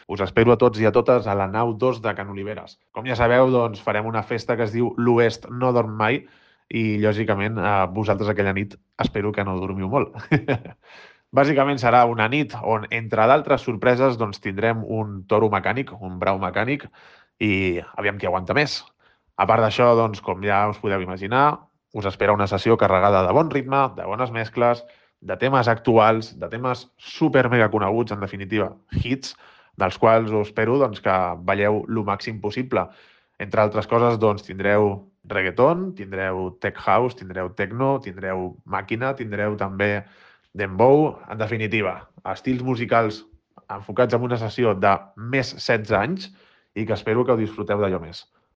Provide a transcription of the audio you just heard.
Us espero a tots i a totes a la nau 2 de Can Oliveres. Com ja sabeu, doncs farem una festa que es diu L'Oest no dorm mai i, lògicament, vosaltres aquella nit espero que no dormiu molt. Bàsicament serà una nit on, entre d'altres sorpreses, doncs tindrem un toro mecànic, un brau mecànic, i aviam qui aguanta més. A part d'això, doncs, com ja us podeu imaginar, us espera una sessió carregada de bon ritme, de bones mescles, de temes actuals, de temes super mega coneguts, en definitiva, hits, dels quals us espero doncs, que balleu el màxim possible. Entre altres coses, doncs, tindreu reggaeton, tindreu tech house, tindreu techno, tindreu màquina, tindreu també dembow, en definitiva, estils musicals enfocats en una sessió de més 16 anys i que espero que ho disfruteu d'allò més.